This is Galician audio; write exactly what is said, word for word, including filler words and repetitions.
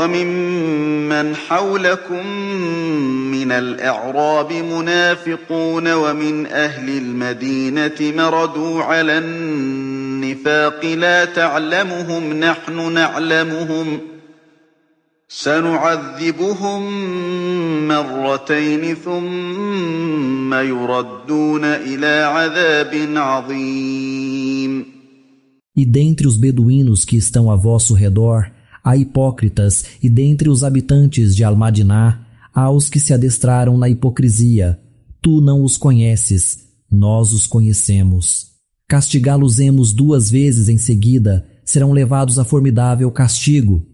وممن حولكم من الأعراب منافقون ومن أهل المدينة مردوا على النفاق لا تعلمهم نحن نعلمهم سنعذبهم مرتين ثم يردون إلى عذاب عظيم. E dentre os beduínos que estão a vosso redor, há hipócritas, e dentre os habitantes de Al-Madiná, há os que se adestraram na hipocrisia. Tu não os conheces, nós os conhecemos. Castigá-los-emos duas vezes em seguida, serão levados a formidável castigo.